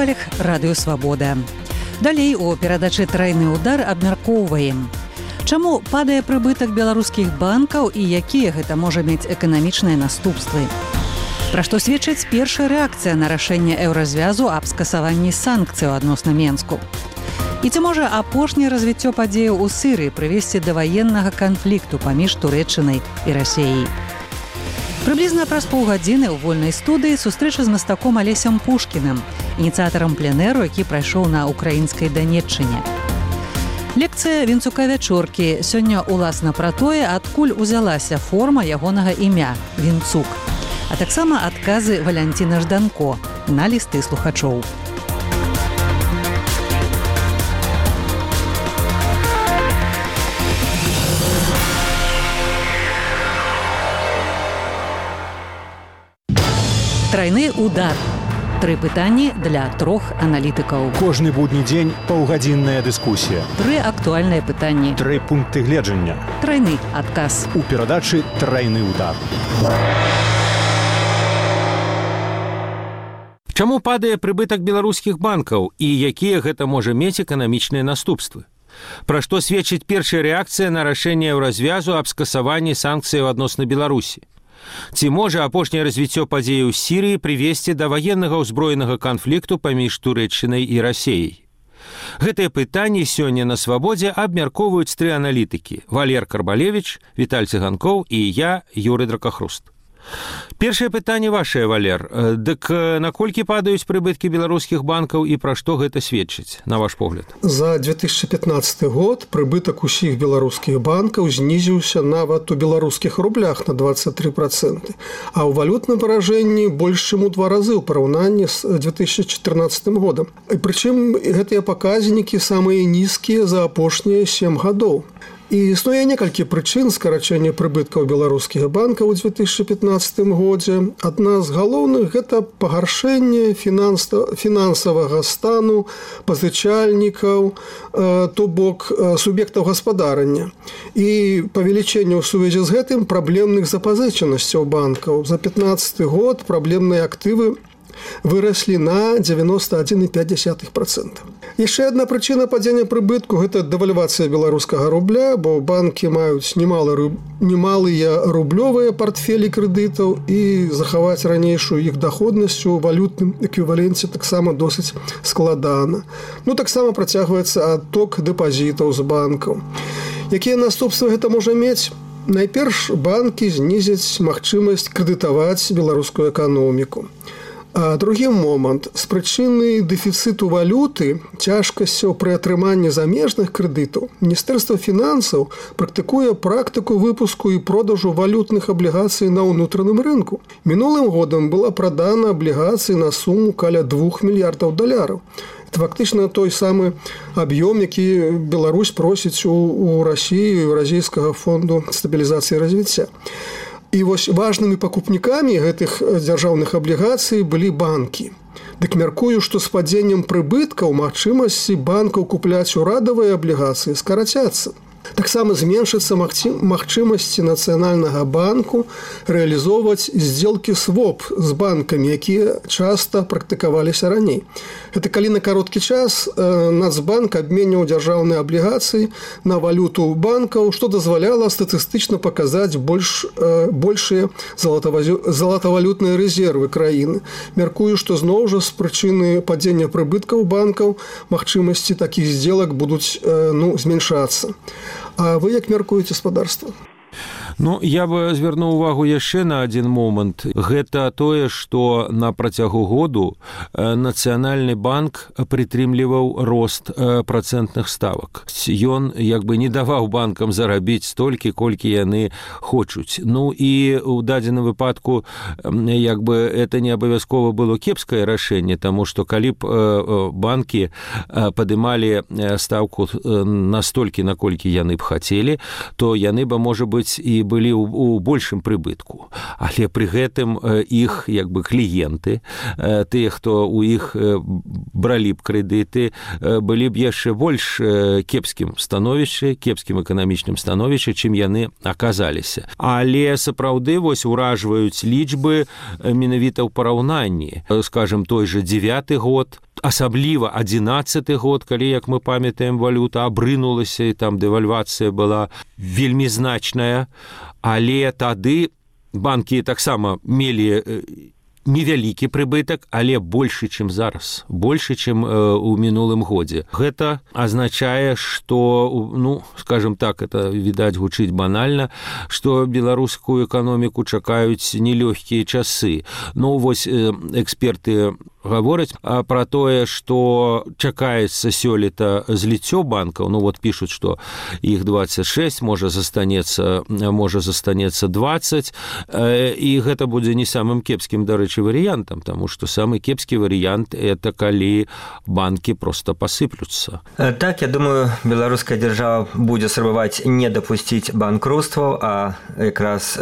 хвалях радыё Свабода. Далей у перадачы «Трайны ўдар» абмяркоўваем. Чаму падае прыбытак беларускіх банкаў і якія гэта можа мець эканамічныя наступствы? Пра што сведчыць першая рэакцыя на рашэнне еўразвязу аб скасаванні санкцыяў адносна Менску? І ці можа апошняе развіццё падзеяў у Сірыі прывесці да ваеннага канфлікту паміж Турэччынай і Расіяй? Прыблізна праз паўгадзіны ў вольнай студыі сустрэча з мастаком Алесем Пушкіным, ініцыятарам пленэру, які прайшоў на украінскай Данеччыне. Лекцыя Вінцука-Вячоркі сёння уласна пра тое, адкуль узялася форма ягонага імя – Вінцук, а таксама адказы Валянціна Жданко на лісты слухачоў. Трайны ўдар. 3 пытанні для 3 аналітыкаў. Кожны будні дзень паўгадзінная дыскусія. 3 актуальныя пытанні. 3 пункты гледжання. Трайны адказ. У перадачы «Трайны ўдар». Чаму падае прыбытак беларускіх банкаў і якія гэта можа мець эканамічныя наступствы? Пра што сведчыць першая рэакцыя на рашэнне еўразвязу аб скасаванні санкцыяў адносна Беларусі? Ці можа апошняе развіццё падзеяў з Сірыі прывесці да ваеннага ўзброенага канфлікту паміж Турэччынай і Расіяй? Гэтыя пытанні сёння на Свабодзе абмяркоўваюць 3 аналітыкі: Валер Карбалевіч, Віталь Цыганкоў і я, Юрый Дракахруст. Першае пытанне вашае, Валер. Дык наколькі падаюць прыбыткі беларускіх банкаў і пра што гэта сведчыць, на ваш погляд? За 2015 год прыбытак усіх беларускіх банкаў знізіўся нават у беларускіх рублях на 23%, а ў валютным выражэнні больш чым у 2 разы ў параўнанні з 2014 годам. Прычым гэтыя паказнікі самыя нізкія за апошнія 7 гадоў. І існуе некалькі прычын скарачэння прыбыткаў беларускіх банкаў у 2015 годзе. Адна з галоўных – гэта пагаршэнне фінансавага стану пазычальнікаў, то бок суб'ектаў гаспадарання. І павелічэнне ў сувязі з гэтым праблемных запазычанасцяў банкаў. За 2015 год праблемныя актывы выраслі на 91,5%. Яшчэ адна прычына падзення прыбытку – гэта дэвальвацыя беларускага рубля, бо банкі маюць немалыя рублёвыя партфелі крэдытаў і захаваць ранейшую іх даходнасць у валютным эквіваленце таксама досыць складана. Таксама працягваецца адток дэпазітаў з банкаў. Якія наступствы гэта можа мець? Найперш, банкі знізяць магчымасць крэдытаваць беларускую эканоміку. А другі момант. З прычыны дэфіцыту валюты, цяжкасцяў пры атрыманні замежных крэдытаў, Міністэрства фінансаў практыкуе практыку выпуску і продажу валютных аблігацый на ўнутраным рынку. Мінулым годам была прадана аблігацый на суму каля $2 мільярдаў. Это фактычна той самы аб'ём, які Беларусь просіць у Расіі, Еўразійскага фонду стабілізацыі і развіцця. І вось важнымі пакупнікамі гэтых дзяржаўных аблігацый былі банкі. Дык мяркую, што з падзеннем прыбыткаў магчымасці банкаў купляць урадавыя аблігацыі скарацяцца. Таксама зменшыцца магчымасці Нацыянальнага банку рэалізоўваць здзелкі своп з банкамі, якія часта практыкаваліся раней. Гэта калі на кароткі час Нацбанк абменьваў дзяржаўныя аблігацыі на валюту банкаў, што дазваляла статыстычна паказаць большыя залатавалютныя рэзервы краіны. Мяркую, што зноў жа з прычыны падзення прыбыткаў банкаў магчымасці такіх здзелак будуць зменшацца. А вы як мяркуеце, спадарства? Я бы звярнуў увагу яшчэ на адзін момант. Гэта тое, што на працягу году Нацыянальны банк прытрымліваў рост працэнтных ставак. Ён не даваў банкам зарабіць столькі, колькі яны хочуць. І ў дадзеным выпадку это не абавязкова было кепскае рашэнне, таму што калі б банкі падымалі стаўку настолькі, наколькі яны б хацелі, то яны бы, можа быць, і былі ў большым прыбытку. Але пры гэтым іх кліенты, тыя, хто ў іх бралі б крэдыты, былі б яшчэ больш кепскім эканамічным становішчы, чым яны аказаліся. Але сапраўды уражваюць лічбы менавіта ў параўнанні. Скажем, той жа 9 год, асабліва 11-й год, калі, як мы памятаем, валюта абрынулася, і там дэвальвацыя была вельмі значная, але тады банкі таксама мелі невялікі прыбытак, але большы, чым зараз, большы, чым у мінулым годзе. Гэта азначае, што, ну, скажем так, это, відаць, гучыць банальна, што беларускую эканоміку чакаюць нелёгкія часы. Ну, вось эксперты гавораць пра тое, што чакаецца сёлета зліццё банкаў. Ну, вот пішуць, што іх 26, можа застанецца 20, і гэта будзе не самым кепскім, дарэчы, варыянтам, таму што самы кепскі варыянт – это калі банкі проста пасыплюцца. Так, я думаю, беларуская дзяржава будзе спрабаваць не дапусціць банкруцтваў, а якраз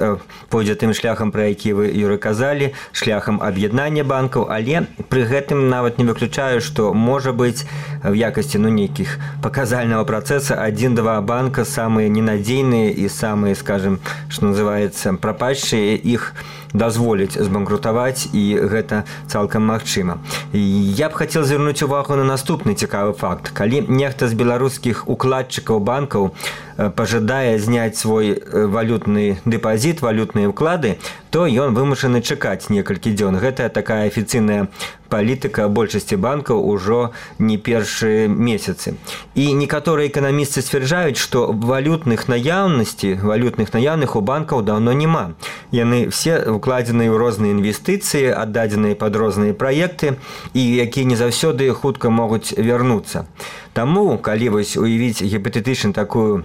пойдзе тым шляхам, пра які вы, Юрый, казалі, шляхам аб'яднання банкаў, але пры гэтым нават не выключаю, што можа быць в якасці нейкіх паказальнага працэса 1-2 банка самыя ненадзейныя і самыя, скажем, што называецца, прападшыя, іх дазволіць збанкрутаваць, і гэта цалкам магчыма. Я б хацеў звярнуць увагу на наступны цікавы факт. Калі нехта з беларускіх укладчыкаў банкаў пажадае зняць свой валютны дэпазіт, валютныя ўклады, то ён вымушаны чакаць некалькі дзён. Гэта такая афіцыйная палітыка большасці банкаў ужо не першыя месяцы. І некаторыя эканамісты сцвярджаюць, што валютных наяўных у банкаў даўно няма. Яны все укладзеныя ў розныя інвестыцыі, аддадзеныя пад розныя праекты, і якія не заўсёды хутка могуць вярнуцца. Таму, калі вось уявіць гіпатэтычна такую,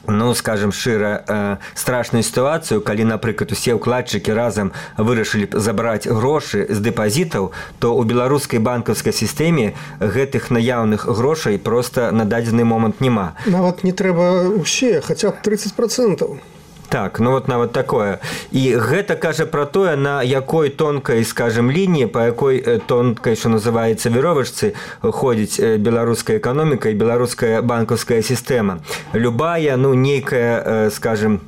ну, скажем шчыра, страшную сітуацыю, калі, напрыклад, усе ўкладчыкі разам вырашылі б забраць грошы з дэпазітаў, то ў беларускай банкаўскай сістэме гэтых наяўных грошай проста на дадзены момант няма. Нават не трэба ўсе, хаця б 30%. Так, ну вот нават такое. І гэта кажа пра тое, на якой тонкай, скажем, лініі, па якой тонкай, што называецца, веровачцы ходзіць беларуская эканоміка і беларуская банкаўская сістэма. Любая, ну, нейкая, скажем,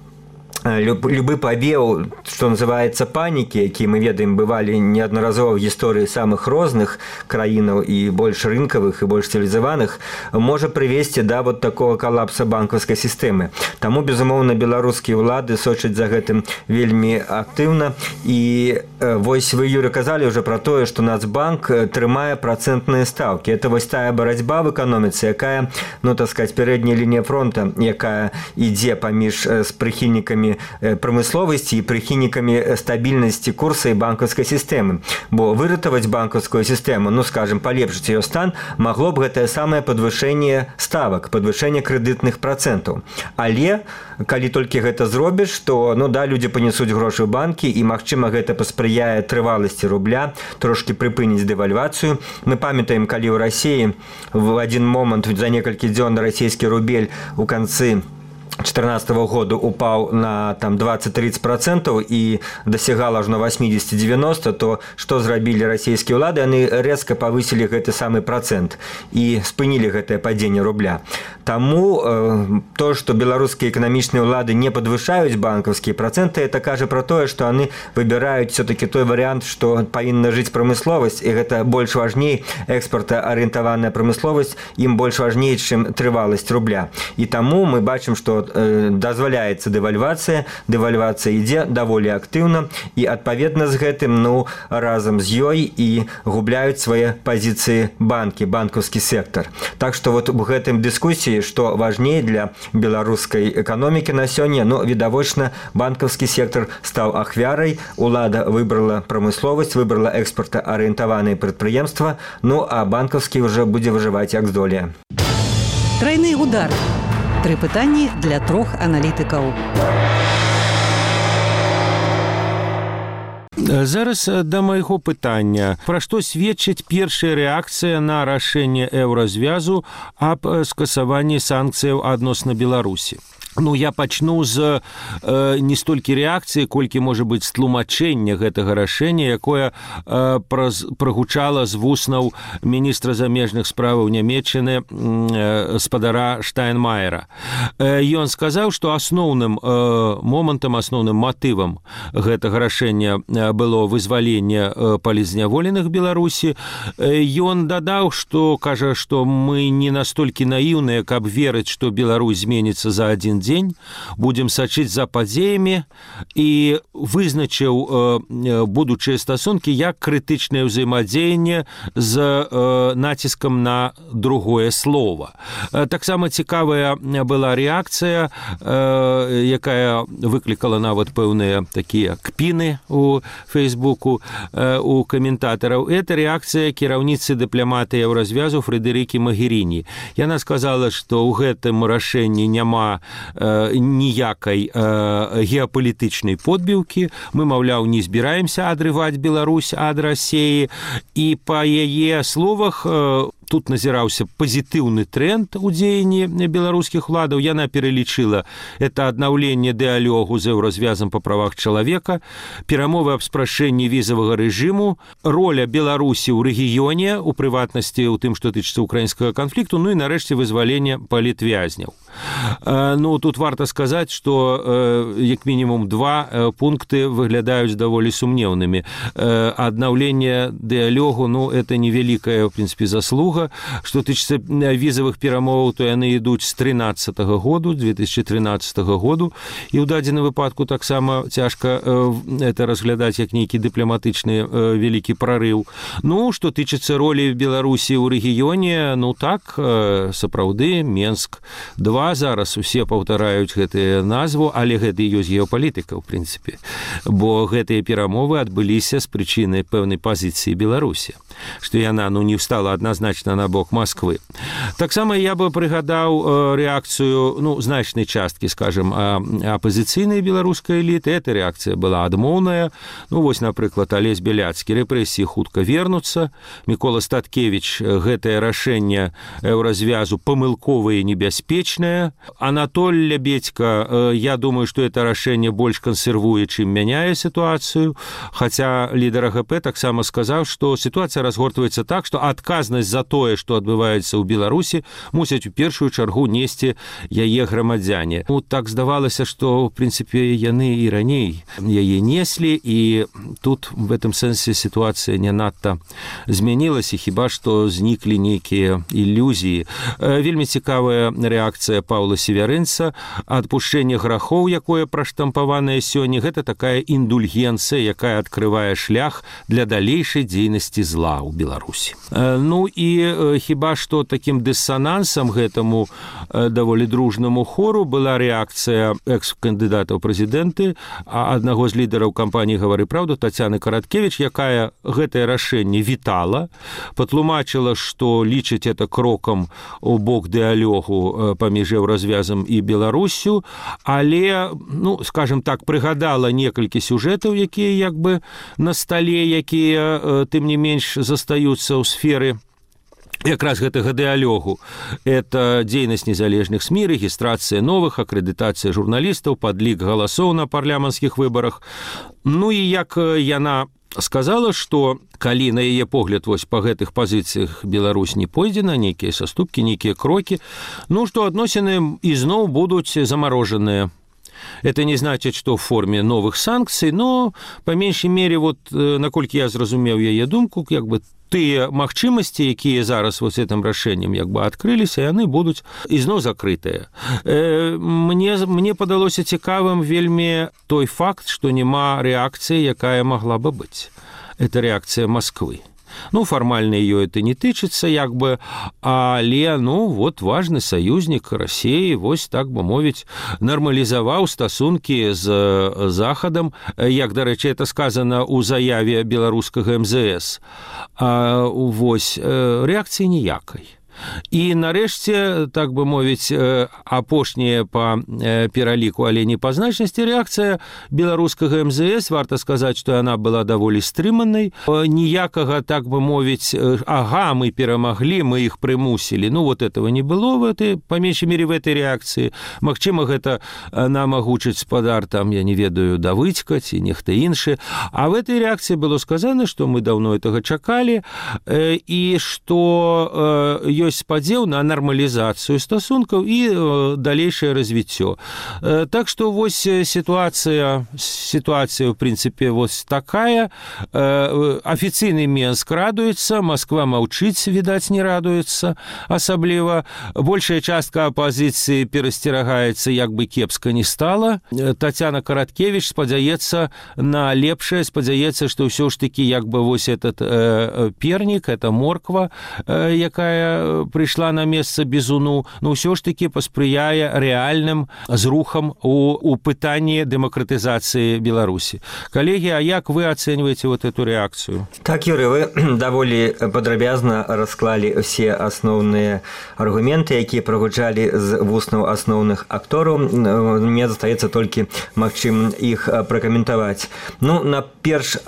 любы павеў, што называецца, панікі, які мы ведаем, бывалі неаднаразова в гісторыі самых розных краінаў і больш рынкавых і больш цывілізаваных, можа прывесці да вот такого калапса банкаўскай сістэмы. Таму, безумоўна, беларускія ўлады сочаць за гэтым вельмі актыўна. І вось вы, Юрий, казалі ўжо пра тое, што Нацбанк трымае працэнтныя стаўкі. Это вось тая барацьба в эканоміцы, якая, ну, так сказаць, пярэдняя лінія фронта, якая ідзе паміж з прыхільнікамі прамысловасці і прыхільнікамі стабільнасці курса і банкаўскай сістэмы. Бо выратаваць банкаўскую сістэму, ну, скажем, палепшыць яе стан, магло б гэтае самае падвышэнне ставак, падвышэнне крэдытных працэнтаў. Але, калі толькі гэта зробіш, то, ну, да, людзі панесуць грошы ў банкі, і, магчыма, гэта паспрыяе трываласці рубля, трошкі прыпыніць дэвальвацыю. Мы памятаем, калі ў Расіі в адзін момант за некалькі дзён расійскі рубель у канцы 2014 году упаў на там 20-30% і дасягал аж на 80-90, то што зрабілі расійскія ўлады? Яны рэзка павысілі гэты самы працэнт і спынілі гэтае падзенне рубля. Таму то, што беларускія эканамічныя ўлады не падвышаюць банкаўскія працэнты, это кажа пра тое, што яны выбіраюць все-таки той варыянт, што павінна жыць прамысловасць, і гэта больш важней, экспартаарыентаваная прамысловасць ім больш важней, чым трываласць рубля. І таму мы бачым, што дазваляецца дэвальвацыя ідзе даволі актыўна, і адпаведна з гэтым, ну, разам з ёй і губляюць свае пазіцыі банкі, банкаўскі сектар. Так што вот у гэтым дыскусіі, што важней для беларускай эканомікі на сёння, ну, відавочна, банкаўскі сектар стаў ахвярай, улада выбрала прамысловасць, выбрала экспартаарыентаваныя прадпрыемства, ну, а банкаўскі ўжо будзе выжываць як здолее. Трайны удар. 3 пытанні для 3 аналітыкаў. Зараз да майго пытання. Пра што сведчыць першая рэакцыя на рашэнне еўразвязу аб скасаванні санкцыяў адносна Беларусі? Ну, я пачну з не столькі рэакцыі, колькі, можа быць, з тлумачэння гэтага рашэння, якое прагучала з вуснаў міністра замежных справаў Нямецчыны спадара Штайнмаера. Ён сказаў, што асноўным момантам, асноўным матывам гэтага рашэння было вызваленне палізняволеных Беларусі. Ён дадаў, што, кажа, што мы не настолькі наіўныя, каб верыць, што Беларусь зменіцца за адзін дзень, будзем сачыць за падзеямі, і вызначыў будучыя стасункі як крытычнае ўзаемадзеянне з націскам на другое слова. Таксама цікавая была рэакцыя, якая выклікала нават пэўныя такія кпіны у Фейсбуку у каментатараў. Это рэакцыя кіраўніцы дыпламатыі Еўразвязу Фрэдэрыкі Магеріні. Яна сказала, што ў гэтым рашэнні няма ніякай геапалітычнай подбіўкі. Мы, маўляў, не збіраемся адрываць Беларусь ад Расіі. І па яе словах тут назіраўся пазітыўны тренд у дзеянні беларускіх уладаў. Яна пералічыла это аднаўленне дыалогу з Еўразвязам па правах чалавека, перамовы аб спрашчэнні візавага рэжыму, роля Беларусі ў рэгіёне, у прыватнасці ў тым, што тычыцца украінскага канфлікту, ну і нарэшце вызвалення палітвязняў. Ну, тут варта сказаць, што як мінімум два пункты выглядаюць даволі сумнеўнымі. Аднаўленне дыалогу, ну, это невялікая, в прынцыпе, заслуга. Што тычыцца візавых перамоваў, то яны ідуць з 2013 году, 2013 году, і ў дадзеным выпадку таксама цяжка это разглядаць як нейкі дыпламатычны вялікі прарыў. Ну, што тычыцца ролі Беларусі ў рэгіёне, ну так, сапраўды, Менск-2, зараз усе паўтараюць гэтыя назву, але гэта і ёсць геапалітыка, ў прынцыпе, бо гэтыя перамовы адбыліся з прычыны пэўнай пазіцыі Беларусі, што яна, ну, не встала адназначна на бок Москвы. Таксама я бы прыгадаў рэакцыю, ну, значнай часткі, скажем, апазіцыйнай беларускай эліты. Эта рэакцыя была адмоўная. Ну, вось, напрыклад, Алесь Беляцкі: рэпрэсіі хутка вернуцца. Мікола Статкевіч: гэтае рашэнне Еўразвязу памылковае і небяспечнае. Анатоль Лябедька: я думаю, што это рашэнне больш кансервуе, чым мяняе сітуацыю. Хаця лідар АГП таксама сказаў, што сітуацыя разгортваецца так, што адказнасць за тое, што адбываецца ў Беларусі, мусяць у першую чаргу несці яе грамадзяне. Ну, так здавалася, што, в прынцыпе, яны і раней яе неслі, і тут в этом сэнсе сітуацыя не надта змянілася, хіба што зніклі нейкія ілюзіі. Вельмі цікавая рэакцыя Паўла Северынца: адпушчэнне грахоў, якое праштампаванае сёння, гэта такая індульгенцыя, якая адкрывае шлях для далейшай дзейнасці зла ў Беларусі. Ну і хіба што такім дысанансам гэтаму даволі дружнаму хору была рэакцыя экс-кандыдата ў прэзідэнты, аднаго з лідараў кампаніі «Гавары праўду» Тацяны Караткевіч, якая гэтае рашэнне вітала, патлумачыла, што лічыць это крокам у бок дыалогу паміж Еўразвязам і Беларуссю, але, ну, скажем так, прыгадала некалькі сюжэтаў, якія як бы на стале, якія, тым не менш, застаюцца ў сферы якраз гэтага дыалогу. Это дзейнасць незалежных СМІ, рэгістрацыя новых, акрэдытацыя журналістаў, падлік галасоў на парламенцкіх выбарах. Ну і як яна сказала, што калі на яе погляд вось па гэтых пазіцыях Беларусь не пойдзе на нейкія саступкі, нейкія крокі, ну, што адносіны ізноў будуць замарожаныя. Это не значит, что в форме новых санкций, но, по меньшей мере, вот, наколькі я зразумеў яе думку, як бы тыя магчымасці, якія зараз вот гэтым рашэннем як бы адкрыліся, яны будуць ізноў закрытыя. Мне падалося цікавым вельмі той факт, што няма рэакцыі, якая магла бы быць. Это рэакцыя Москвы. Ну, фармальна ее это не тычыцца, як бы, але, ну, вот важны саюзнік Расіі, вось, так бы мовіць, нармалізаваў стасункі з Захадам, як, дарэчы, это сказана ў заяве беларускага МЗС. Вось, рэакцыі ніякай. І нарэшце, так бы мовіць, апошняя па пераліку, але не па значнасці рэакцыя беларускага МЗС, варта сказаць, што яна была даволі стрыманай. Ніякага, так бы мовіць, ага, мы перамаглі, мы іх прымусілі. Ну, вот этого не было по меншай мере в этой рэакцыі. Магчыма, гэта нам агучыць спадар, там, я не ведаю, Давыдзька ці нехта іншы. А в этой рэакцыі было сказано, што мы даўно гэтага чакалі і што ёсць спадзеў на нармалізацыю стасункаў і далейшае развіццё. Так што вось сітуацыя в прынцыпе вось такая. Афіцыйны Менск радуецца, Москва маўчыць, відаць, не радуецца асабліва. Большая частка апазіцыі перасцерагаецца, як бы кепска не стала. Тацяна Караткевіч спадзяецца на лепшае, спадзяецца, што ўсё ж такі як бы вось этот пернік, это морква, якая прыйшла на месца бізуну, но ўсё ж такі паспрыяе рэальным зрухам у пытанні дэмакратызацыі Беларусі. Калегі, а як вы ацэньваеце вот эту рэакцыю? Так, Юрый, вы даволі падрабязна расклалі все асноўныя аргументы, якія прагучалі з вуснаў асноўных актораў. Мне застаецца толькі магчым іх пракаментаваць. Ну, наперш,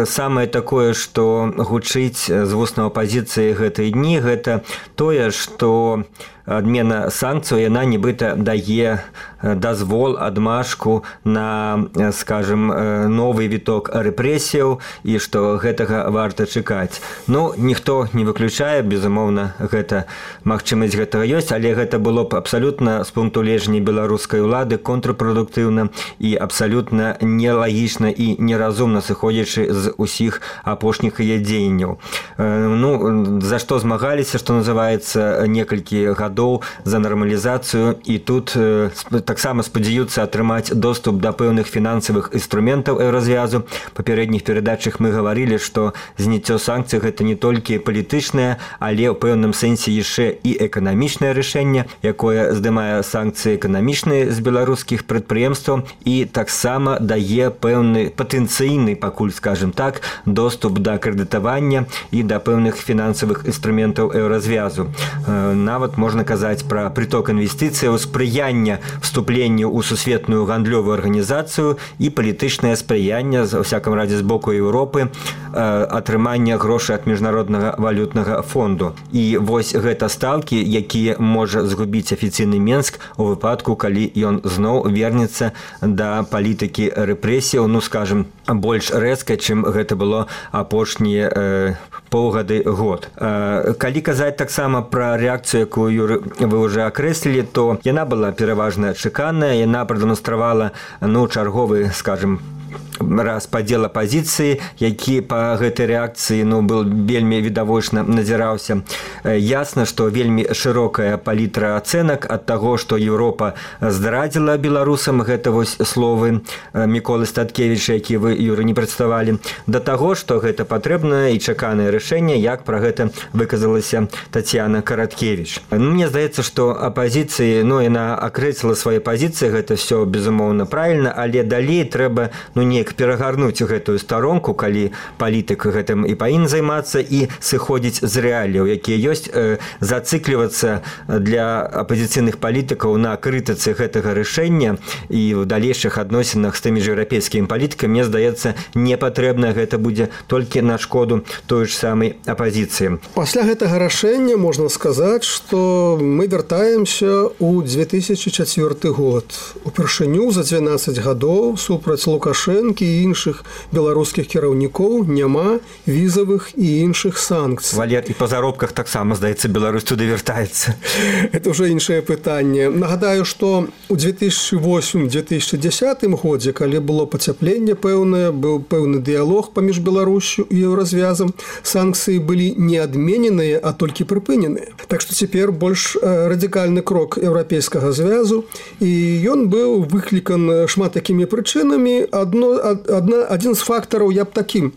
самае такое, што гучыць з вуснаў апазіцыі гэтыя дні, гэта тое, што адмена санкцыяў, яна нібыта дае дазвол, адмашку на, скажем, новы віток рэпрэсіяў і што гэтага варта чакаць. Ну, ніхто не выключае, безумоўна, гэта магчымасць гэтага ёсць, але гэта было б абсалютна з пункту гледжання беларускай улады контрпрадуктыўна і абсалютна нелагічна і неразумна, сыходзячы з усіх апошніх яе дзеянняў. Ну, за што змагаліся, што называецца, некалькі гадоў за нармалізацыю, і тут таксама спадзяюцца атрымаць доступ да пэўных фінансавых інструментаў еўразвязу. Папярэдніх перадачах мы гаварылі, што зняццё санкцый гэта не толькі палітычнае, але ў пэўным сэнсе яшчэ і эканамічнае рашэнне, якое здымае санкцыі эканамічныя з беларускіх прадпрыемстваў і таксама дае пэўны патэнцыйны, пакуль, скажем так, доступ да крэдытавання і да пэўных фінансавых інструментаў еўразвязу. Нават можна казаць пра прыток інвестыцыяў, спрыяння вступленню ў сусветную гандлёвую арганізацыю і палітычнае спрыянне, ва ўсякім радзе з боку Еўропы, атрымання грошай ад міжнароднага валютнага фонду. І вось гэта стаўкі, якія можа згубіць афіцыйны Менск у выпадку, калі ён зноў вернецца да палітыкі рэпрэсіяў, ну, скажем, больш рэзка, чым гэта было апошнія паўгады, год. Калі казаць таксама пра рэакцыю, якую, Юры, вы ўжо акрэслілі, то яна была пераважна чаканая, яна прадэманстравала, ну, чарговы, скажем, распадзел апазіцыі, які па гэтай рэакцыі, ну, был вельмі відавочна назіраўся. Ясна, што вельмі шырокая палітра ацэнак ад таго, што Еўропа здрадзіла беларусам, гэта вось словы Міколы Статкевіча, які вы, Юры, не прадставалі, да таго, што гэта патрэбнае і чаканае рашэнне, як пра гэта выказалася Тацяна Караткевіч. Ну, мне здаецца, што апазіцыі, ну, яна акрэсліла свае пазіцыі, гэта все безумоўна правільна, але далей трэба, ну, неяк перагарнуць гэтую старонку, калі палітык гэтым і павінен займацца і сыходзіць з рэаліяў, якія ёсць, зацыклівацца для апазіцыйных палітыкаў на крытыцы гэтага рашэння і ў далейшых адносінах з тымі ж еўрапейскімі палітыкамі, мне здаецца, не патрэбна, гэта будзе толькі на шкоду той ж самай апазіцыі. Пасля гэтага рашэння можна сказаць, што мы вяртаемся ў 2004 год. Упершыню за 12 гадоў супраць Лукашэнкі і іншых беларускіх кіраўнікоў няма візавых і іншых санкцый. Валер, і па заробках таксама, здаецца, Беларусь туды вяртаецца. Это ўжо іншае пытанне. Нагадаю, што ў 2008-2010 годзе, калі было пацяпленне пэўнае, быў пэўны дыялог паміж Беларусю і еўразвязам, санкцыі былі не адмененыя, а толькі прыпыненыя. Так што цяпер больш радыкальны крок еўрапейскага звязу, і ён быў выклікан шмат такімі прычынамі. адзін з фактараў я б такі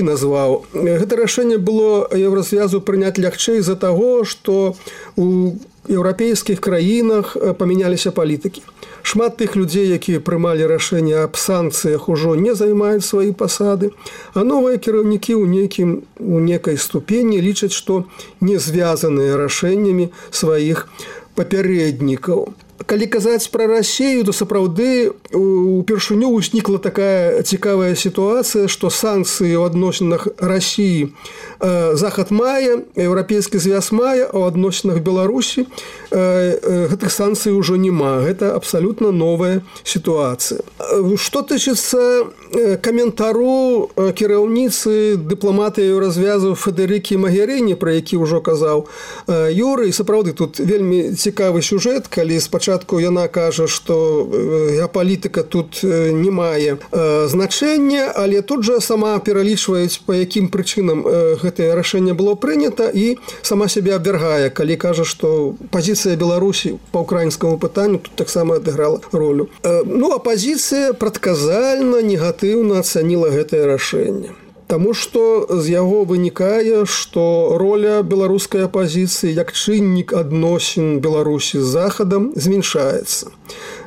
назваў. Гэта рашэнне было Еўразвязу прыняць лягчэй з-за таго, што у еўрапейскіх краінах памяняліся палітыкі. Шмат тых людзей, якія прымалі рашэнне аб санкцыях, ужо не займаюць свае пасады, а новыя кіраўнікі у некай ступені лічаць, што не звязаныя рашэннямі сваіх папярэднікаў. Калі казаць пра Расію, то сапраўды упершыню ўзнікла такая цікавая сітуацыя, што санкцыі ў адносінах Расіі Захад мае, Еўрапейскі звяз мае, а ў адносінах Беларусі гэтых санкцый ужо няма. Гэта абсалютна новая сітуацыя. Што тычыцца каментару кіраўніцы дыпламаты Еўразвязу Федэрыкі Магерыні, пра які ўжо казаў Юрый, сапраўды тут вельмі цікавы сюжэт, калі спачатку яна кажа, што геапалітыка тут не мае значэння, але тут жа сама пералічваюць, па якім прычынам гэтае рашэнне было прынята, і сама сябе абвяргае, калі кажа, што пазіцыя Беларусі па ўкраінскаму пытанню тут таксама адыграла ролю. Апазіцыя прадказальна негатыўна ацаніла гэтае рашэнне. Таму што з яго вынікае, што роля беларускай апазіцыі як чыннік адносін Беларусі з Захадам змяншаецца.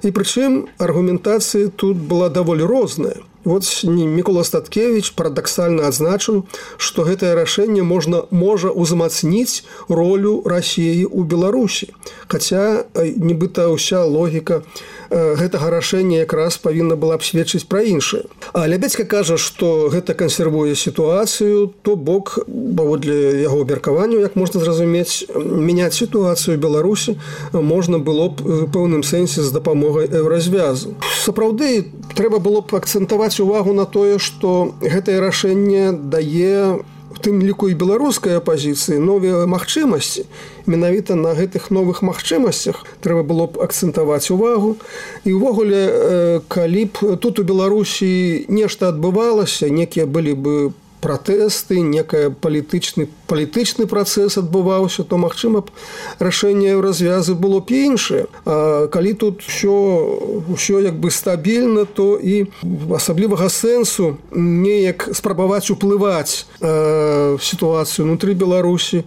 І прычым аргументацыя тут была даволі розная. Вот Мікола Статкевіч парадаксальна адзначыў, што гэтае рашэнне можа ўзмацніць ролю Расіі ў Беларусі. Хаця нібыта ўся логіка гэтага рашэння якраз павінна была б сведчыць пра іншае. А Лябедзька кажа, што гэта кансервуе сітуацыю, то бок, паводле яго абмеркаванняў, як можна зразумець, мяняць сітуацыю ў Беларусі можна было б у пэўным сэнсе з дапамогай Еўразвязу. Сапраўды, трэба было б акцэнтаваць увагу на тое, што гэтае рашэнне дае у тым ліку і беларускай апазіцыі новыя магчымасці. Менавіта на гэтых новых магчымасцях трэба было б акцэнтаваць увагу. І ўвогуле, калі б тут у Беларусі нешта адбывалася, некія былі бы пратэсты, некая палітычны працэс адбываўся, то, магчыма б, рашэнне Еўразвязу было б іншае. А калі тут ўсё як бы стабільна, то і асаблівага сэнсу неяк спрабаваць уплываць сітуацыю ўнутры Беларусі,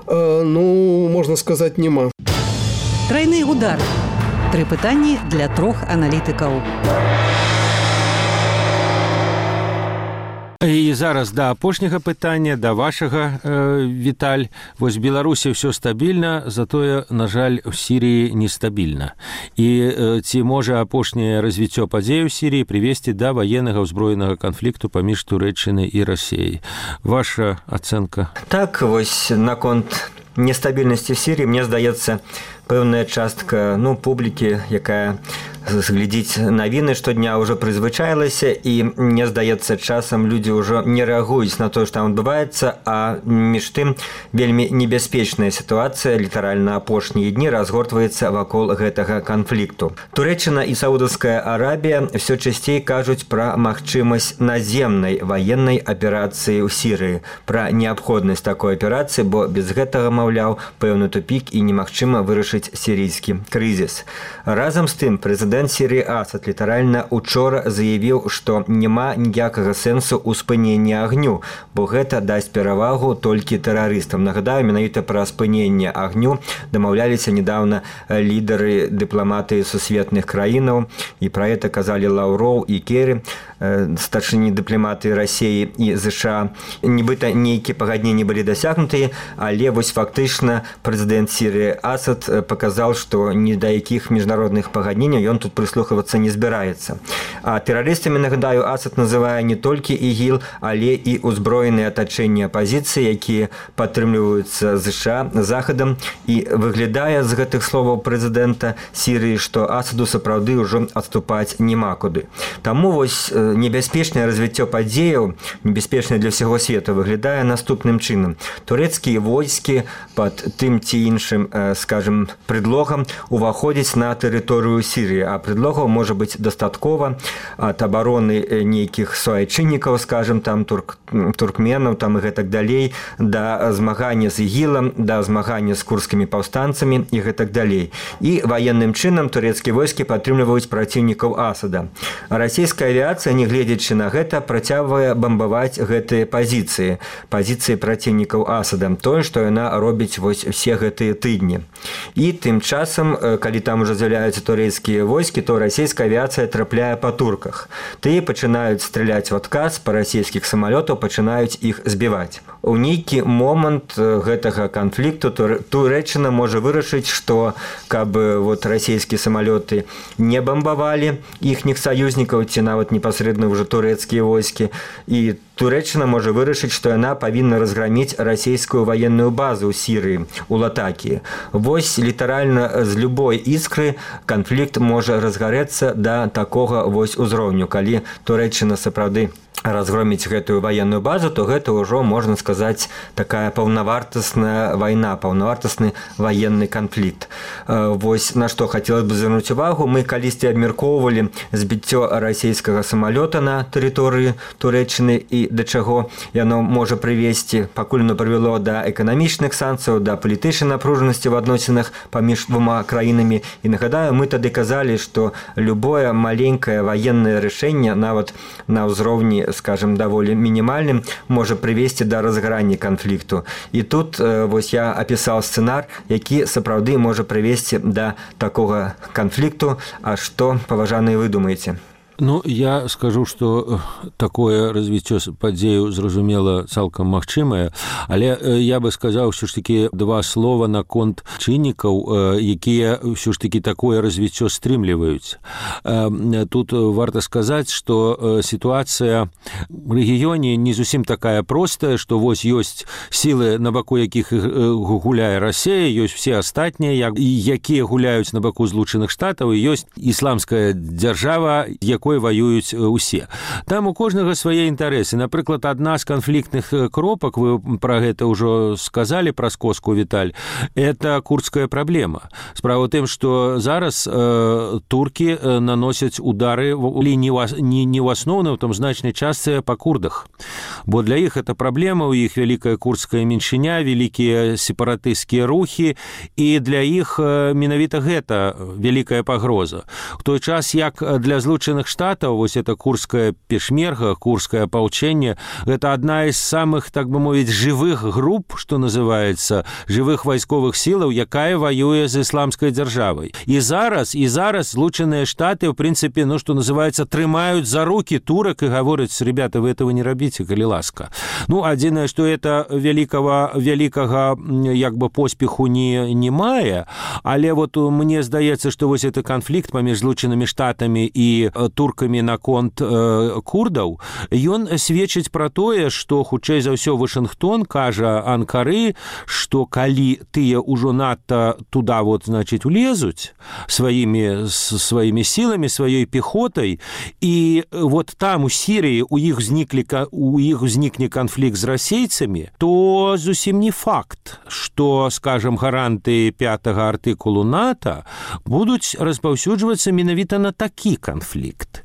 можна сказаць, няма. Трайны удар. 3 пытанні для 3 аналітыкаў. І зараз да апошняга пытання, да вашага, Віталь. Вось Беларусі ўсё стабільна, затое, на жаль, у Сірыі нестабільна. І ці можа апошняе развіццё падзей у Сірыі прывесці да ваеннага ўзброенага канфлікту паміж Турэччынай і Расіяй? Ваша ацэнка? Так, вось наконт нестабільнасці в Сірыі, мне здаецца, пэўная частка публікі, якая глядзіць навіны штодня, ўжо прызвычаілася, і мне здаецца, часам людзі ўжо не рэагуюць на тое, што там адбываецца, а між тым вельмі небяспечная сітуацыя літаральна апошнія дні разгортваецца вакол гэтага канфлікту. Турэччына і Саудаўская Арабія ўсё часцей кажуць пра магчымасць наземнай ваеннай аперацыі ў Сірыі, пра неабходнасць такой аперацыі, бо без гэтага, маўляў, пэўны тупік і немагчыма вырашыць сірыйскі крызіс. Разам з тым, прэзідэнт Сірыі Асад літаральна учора заявіў, што няма ніякага сэнсу ў спыненні агню, бо гэта дасць перавагу толькі тэрарыстам. Нагадаю, менавіта пра спыненне агню дамаўляліся нядаўна лідары дыпламатыі сусветных краінаў, і пра гэта казалі Лаўроў і Керрі, старшыні дыпламатыі Расіі і ЗША. Нібыта нейкія пагадненні былі дасягнутыя, але вось фактычна прэзідэнт Сірыі Асад паказаў, што ні да якіх міжнародных пагадненняў ён тут прыслухавацца не збіраецца. А тэрарыстамі, нагадаю, Асад называе не толькі ІГІЛ, але і ўзброеныя атачэнні апазіцыі, якія падтрымліваюцца ЗША, Захадам, і выглядае з гэтых словаў прэзідэнта Сірыі, што Асаду сапраўды ўжо адступаць няма куды. Таму вось небяспечнае развіццё падзеяў, небяспечнае для ўсяго свету, выглядае наступным чынам. Турэцкія войскі пад тым ці іншым, скажем, предлогам уваходзіць на тэрыторыю Сірыі, а предлогаў можа быць дастаткова ад абароны нейкіх суайчыннікаў, скажем, там туркменаў там і гэтак далей, да змагання з ігілам, да змагання з курдскімі паўстанцамі і гэтак далей. І ваенным чынам турэцкія войскі падтрымліваюць праціўнікаў Асада. Расійская авіацыя, не гледзячы на гэта, працягвае бамбаваць гэтыя пазіцыі праціўнікаў Асада, тое, што яна робіць вось все гэтыя тыдні. І тым часам, калі там уже з'яўляюцца турэцкія войскі, то расійская авіацыя трапляе па турках. Тыя пачынаюць страляць в адказ па расійскіх самалётаў, пачынаюць іх збіваць. У нейкі момант гэтага канфлікту Турэччына можа вырашыць, што каб вот расійскія самалёты не бамбавалі іхніх саюзнікаў ці нават непасрэдна ўжо турэцкія войскі, і Турэччына можа вырашыць, што яна павінна разграміць расійскую ваенную базу ў Сірыі, у Латакіі. Вось літаральна з любой іскры канфлікт можа разгарэцца да такога вось узроўню. Калі Турэччына сапраўды разгроміць гэтую ваенную базу, то гэта ўжо, можна сказаць, такая паўнавартасная вайна, паўнавартасны ваенны канфлікт. Вось на што хацелася б звярнуць увагу. Мы калісьці абмяркоўвалі збіццё расійскага самалёта на тэрыторыі Турэччыны і да чаго яно можа прывесці. Пакуль оно прывяло да эканамічных санкцыяў, да палітычнай напружанасці в адносінах паміж двума краінамі. І нагадаю, мы тады казалі, што любое маленькае ваеннае рашэнне, нават на ўзроўні, скажем, даволі мінімальным, можа прывесці да разгарання канфлікту. І тут вось я апісаў сцэнар, які сапраўды можа прывесці да такога канфлікту. А што, паважаныя, вы думаеце? Ну, я скажу, што такое развіццё падзею, зразумела, цалкам магчымае, але я бы сказаў ўсё ж такі два слова наконт чыннікаў, якія ўсё ж такі такое развіццё стрымліваюць. Тут варта сказаць, што сітуацыя ў рэгіёне не зусім такая простая, што вось ёсць сілы, на баку якіх гуляе Расія, ёсць все астатнія, якія гуляюць на баку Злучаных Штатаў, і ёсць ісламская дзяржава, якой воююць усе. Там у кожнага свае інтарэсы. Напрыклад, адна з канфліктных кропак, вы пра гэта ўжо сказалі, пра скоску, Віталь, это курдская праблема. Справа ў тым, што зараз туркі наносяць удары не ў асноўным, там значнай частцы па курдах. Бо для іх это праблема, у іх вялікая курдская меншыня, вялікія сепаратысцкія рухі, і для іх менавіта гэта вялікая пагроза. У той час, як для Злучаных Штатаў, вось это курдская пешмерга, курдскае апалчэнне, гэта адна з самых, так бы мовіць, жывых груп, што называецца, жывых вайсковых сілаў, якая ваюе з ісламскай дзяржавай. І зараз Злучаныя Штаты, в прынцыпе, ну, што называецца, трымаюць за рукі турак і гавораць: ребята, вы этого не рабіце, калі ласка. Ну, адзінае, што это вялікага як бы поспеху не мае, але вот мне здаецца, што вось это канфлікт паміж Злучанымі Штатамі і туркамі наконт курдаў, ён сведчыць пра тое, што хутчэй за ўсё Вашынгтон кажа Анкары, што калі тыя ўжо надта туда вот, значит, улезуць сваімі сіламі, сваёй пехотай, і вот там у Сірыі у іх узнікне канфлікт з расейцамі, то зусім не факт, што, скажем, гаранты 5-го артыкулу НАТО будуць распаўсюджвацца менавіта на такі канфлікт.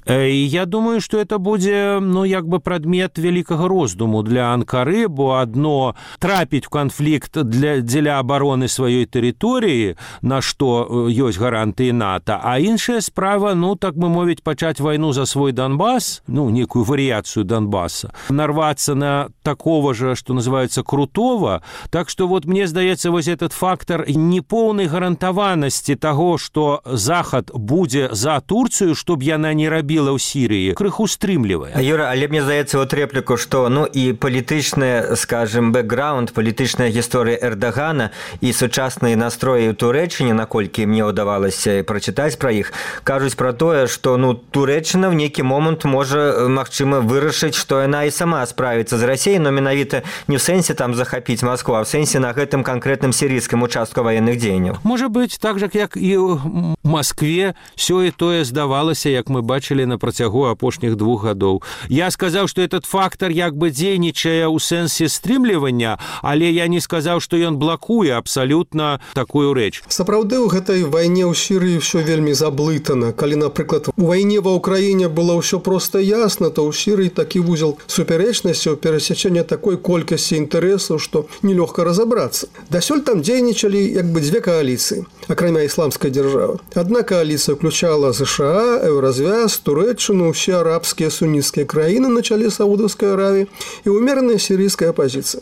Я думаю, што это будзе, ну, як бы прадмет вялікага роздуму для Анкары, бо адно трапіць у канфлікт дзеля абароны сваёй тэрыторыі, на што ёсць гарантыі НАТО, а іншая справа, ну, так бы мовіць, пачаць вайну за свой Донбас, ну, некую варыяцыю Донбаса, нарвацца на такого же, што называется, крутого. Так што вот мне здаецца, вось этот фактор непоўнай гарантаванасці таго, што Захад будзе за Турцыю, чтоб яна не рабіла ў Сірыі, крыху стрымлівае. Юра, але мне здаецца вот репліку, што, ну, і палітычны, скажем, бэкграунд, палітычная гісторыя Эрдагана і сучасныя настроі ў Турэччыне, наколькі мне ўдавалася прачытаць пра іх, кажуць пра тое, што, ну, Турэччына в нейкі момант можа, магчыма, вырашыць, што яна і сама справіцца з Расіяй, но менавіта не в сэнсе там захапіць Москву, а в сэнсе на гэтым канкрэтным сірійскім участку ваенных дзеянняў. Можа быць, так жа, як і ў Москве сёе тое здавалася, як мы бачылі на працягу апошніх 2 гадоў. Я сказаў, што этот фактор як бы дзейнічае ў сэнсе стрымлівання, але я не сказаў, што ён блакуе абсалютна такую рэч. Сапраўды ў гэтай вайне ў Сірыі ўсё вельмі заблытана. Калі, напрыклад, у вайне ва ўкраіне было ўсё проста ясна, то ў Сірыі такі вузел супярэчнасцяў, перасячэння такой колькасці інтарэсаў, што нелёгка разабрацца. Дасюль там дзейнічалі як бы 2 кааліцыі, акрамя ісламскай дзяржавы. Адна кааліцыя ўключала ЗША, Еўразвяз, Турэччыну, ўсе арабскія суніцкія краіны на чале Саудаўскай Аравіі і ўмераная сірыйская апазіцыя.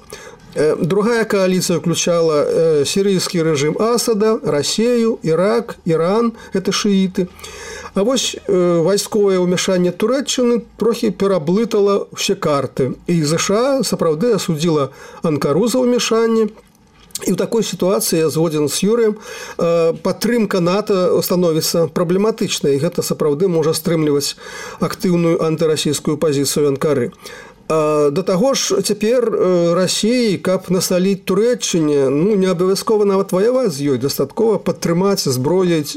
Другая коалиция включала сирийский режим Асада, Россию, Ирак, Иран, это шииты. А вось вайсковае ўмяшанне Турэччыны трохі пераблытала ўсе карты. І ЗША сапраўды асудзіла Анкару за ўмяшанне. І ў такой сітуацыі, я згодзін з Юрыем, падтрымка НАТО становіцца праблематычнай. І гэта сапраўды можа стрымліваць актыўную антырасійскую пазіцыю Анкары. Да таго ж цяпер Расіі, каб насаліць Турэччыне, не абавязкова нават ваяваць з ёй, дастаткова падтрымаць, зброяць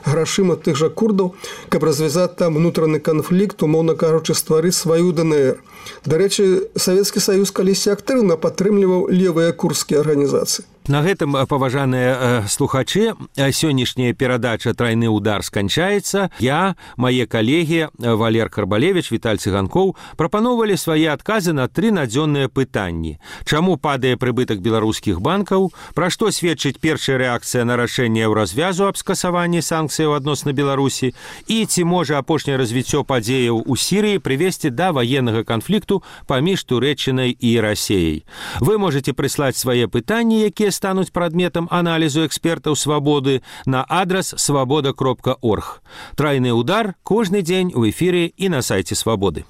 грашыма тых жа курдаў, каб развязаць там унутраны канфлікт, умоўна кажучы, стварыць сваю ДНР. Дарэчы, Савецкі Саюз калісьці актыўна падтрымліваў левыя курдскія арганізацыі. На гэтым, паважаныя слухачы, сённяшняя перадача «Трайны удар» сканчаецца. Я, мае калегі Валер Карбалевіч, Віталь Цыганкоў прапаноўвалі свае адказы на 3 надзённыя пытанні. Чаму падае прыбытак беларускіх банкаў? Пра што сведчыць першая рэакцыя на рашэнне Еўразвязу аб скасаванні санкцыяў адносна Беларусі? І ці можа апошняе развіццё падзеяў у Сірыі прывесці да ваеннага канфлікту паміж Турэччынай і Расіяй? Вы можете прыслаць свае пытанні, якія стануць прадметам аналізу экспертаў «Свабоды» на адрас свабода.орг. «Трайны удар» кожны дзень у эфіры і на сайце «Свабоды».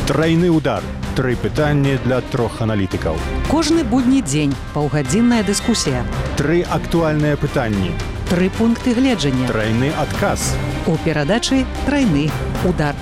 Трайны удар. 3 пытанні для 3 аналітыкаў. Кожны будні дзень паўгадзінная дыскусія. 3 актуальныя пытанні. 3 пункты гледжання. Трайны адказ. У перадачы «Трайны удар».